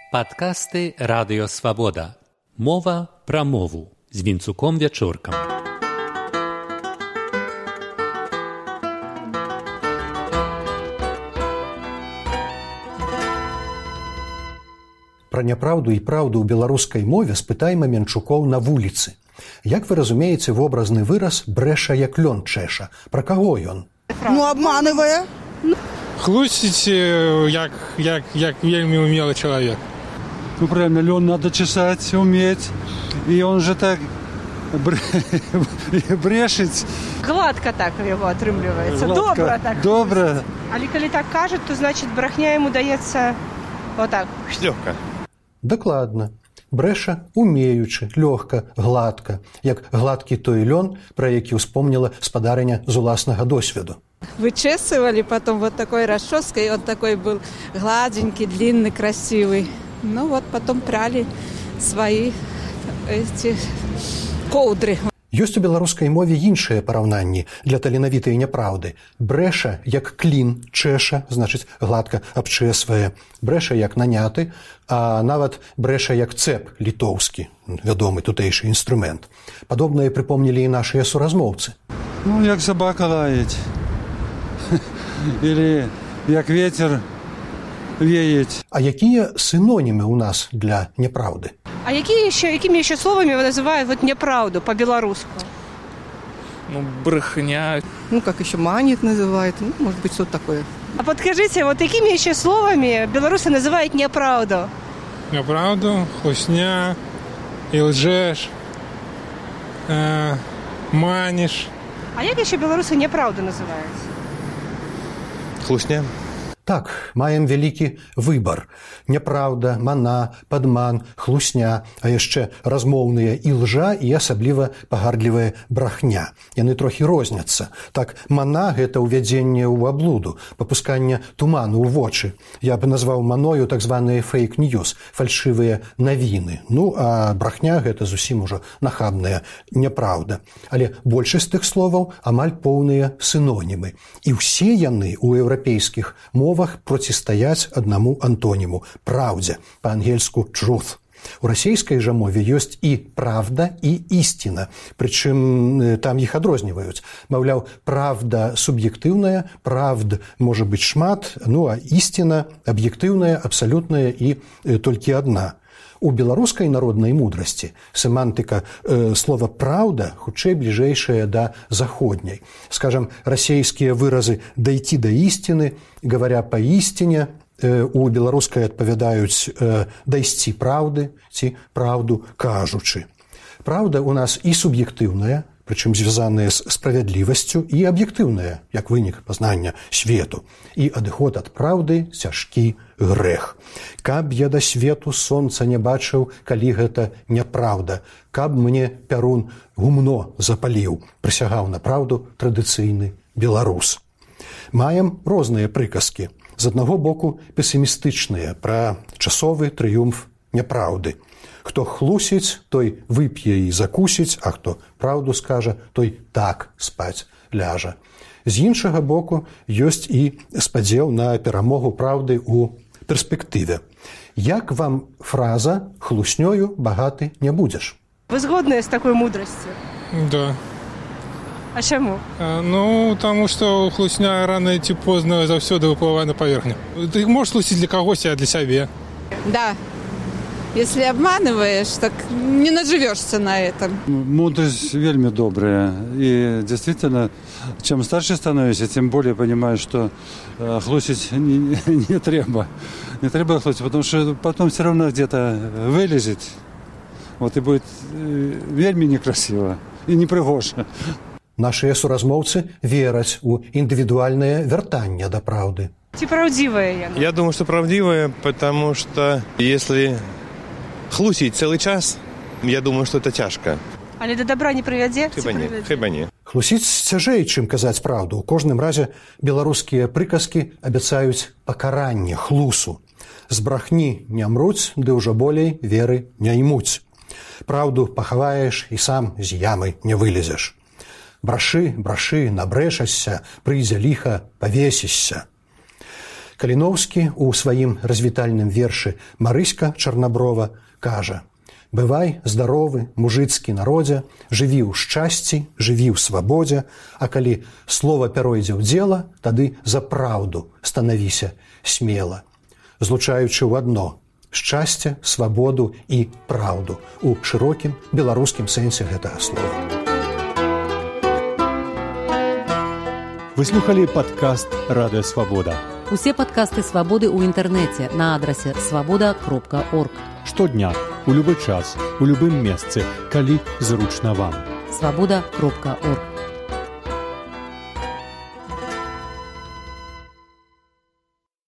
Падкасты Радыё Свабода. Мова пра мову з Вінцуком Вячоркам. Пра няпраўду і праўду ў беларускай мове спытаем Менчукоў на вуліцы. Як вы разумееце вобразны выраз «брэша як лён чэша»? Пра каго ён? Обманывая. Хлусіць, як вельмі умелый чалавек. Правильно, лен надо чесать, уметь. И он же так брешить. Гладко так его отрымливается. Добро так. Добро. А коли так кажет, то значит брехня ему дается вот так. Лёгка. Дакладна. Брэша умеючы, лёгка, гладка, як гладкі той лён, пра які ўспомніла спадарыня з уласнага досведу. Вычесывали потом вот такой расческой, он такой был гладенький, длинный, красивый. Ну вот потом прали свои эти коўдры. Ёсць у беларускай мове іншыя параўнанні для таленавітай няпраўды. Брэша як клін чэша, значыць гладка абчэсвае. Брэша як наняты, а нават брэша як цэп літоўскі, вядомы тутэйшы інструмент. Падобнае прыпомнілі і нашыя суразмоўцы. Ну, як собака лаять. Или як ветер веять. А якія синонімы у нас для няпраўды? А какими еще словами называют вот неправду по-белорусски? Ну, брехня. Ну, как еще манит называют. Ну, может быть, что-то такое. А подскажите, вот какими еще словами белорусы называют неправду? Неправду, хлусня, и лжешь, манишь. А як еще белорусы неправду называют? Хлусня. Так, маем вялікі выбар. Няпраўда, мана, падман, хлусня, а яшчэ размоўныя ілжа і асабліва пагардлівая брахня. Яны трохі розняцца. Так, мана – гэта ўвядзенне ў аблуду, папусканне туману ў вочы. Я бы назваў маною так званыя фейк-ньюс, фальшывыя навіны. Ну, а брахня – гэта зусім ужо нахабная няпраўда. Але большасць тых словаў амаль поўныя синонімы. І ўсе яны ў еўрапейскіх мовах процістаяць аднаму антоніму – праўдзе, па-ангельску truth. У расійскай жа мове ёсць і правда, і ісціна. Прычым там іх адрозніваюць. Маўляў, правда суб'ектыўная, правд можа быць шмат, ну а ісціна аб'ектыўная, абсалютная і толькі адна. У беларускай народнай мудрасці семантыка слова «праўда» хутчэй бліжэйшая да заходняй. Скажам, расейскія выразы «дайти до истины», «говоря по истине», у беларускай адпавядаюць «дайсці праўды» ці «праўду кажучы». Праўда у нас і суб'ектыўная, прычым звязаная з справядлівасцю, і аб'ектыўная, як вынік пазнання свету. І адыход ад праўды цяжкі грэх. Каб я да свету сонца не бачыў, калі гэта няпраўда. Каб мне пярун гумно запаліў, прысягаў на праўду традыцыйны беларус. Маем розныя прыказкі. З аднаго боку песімістычныя пра часовы трыумф няпраўды. Хто хлусіць, той вып'е і закусіць, а хто праўду скажа, той так спаць ляжа. З іншага боку ёсць і спадзеў на перамогу праўды ў перспектыве. Як вам фраза «хлуснёю багаты не будзеш»? Вы згодны з такой мудрасцю? Да. А чаму? Ну, потому что хлусня рано ці позна заўсёды выплывае на паверхню. Ты можешь хлусіць для кагосьці, а для сябе. Да. Если обманываешь, так не наживешься на этом. Мудрость вельми добрая. И действительно, чем старше становишься, тем более понимаешь, что хлусить не треба. Не треба хлусить, потому что потом все равно где-то вылезет. Вот и будет вельми некрасиво и непрыгожа. Нашыя суразмоўцы вераць у індывідуальнае вяртанне да праўды. Ці правдивая яна? Я думаю, что правдивая, потому что если хлусить целый час, я думаю, что это тяжко. Але до добра не прывядзе? Хіба не. Хлусіць цяжэй, чым казаць праўду. У кожным разе беларускія прыказкі абяцаюць пакаранне хлусу. З брахні не мруць, ды ўжо болей веры не імуць. Праўду пахаваеш і сам з ямы не вылезеш. Брашы, брашы, набрэшашся, прыйдзе ліха, павесішся. Каліноўскі ў сваім развітальным вершы «Марыська Чарнаброва» кажа: «Бывай здаровы, мужыцкі народзе, жыві ў шчасці, жыві ў свабодзе, а калі слова пяройдзе ў дзела, тады за праўду станавіся смела». Злучаючы ў адно шчасце, свабоду і праўду у шырокім беларускім сэнсе гэтага слова. Вы слухали падкаст «Радыё Свабода». Усе падкасты «Свабоды» ў інтэрнэце на адрасе свабода.орг. Штодня, у любы час, у любым месцы, калі зручна вам. Свабода.орг.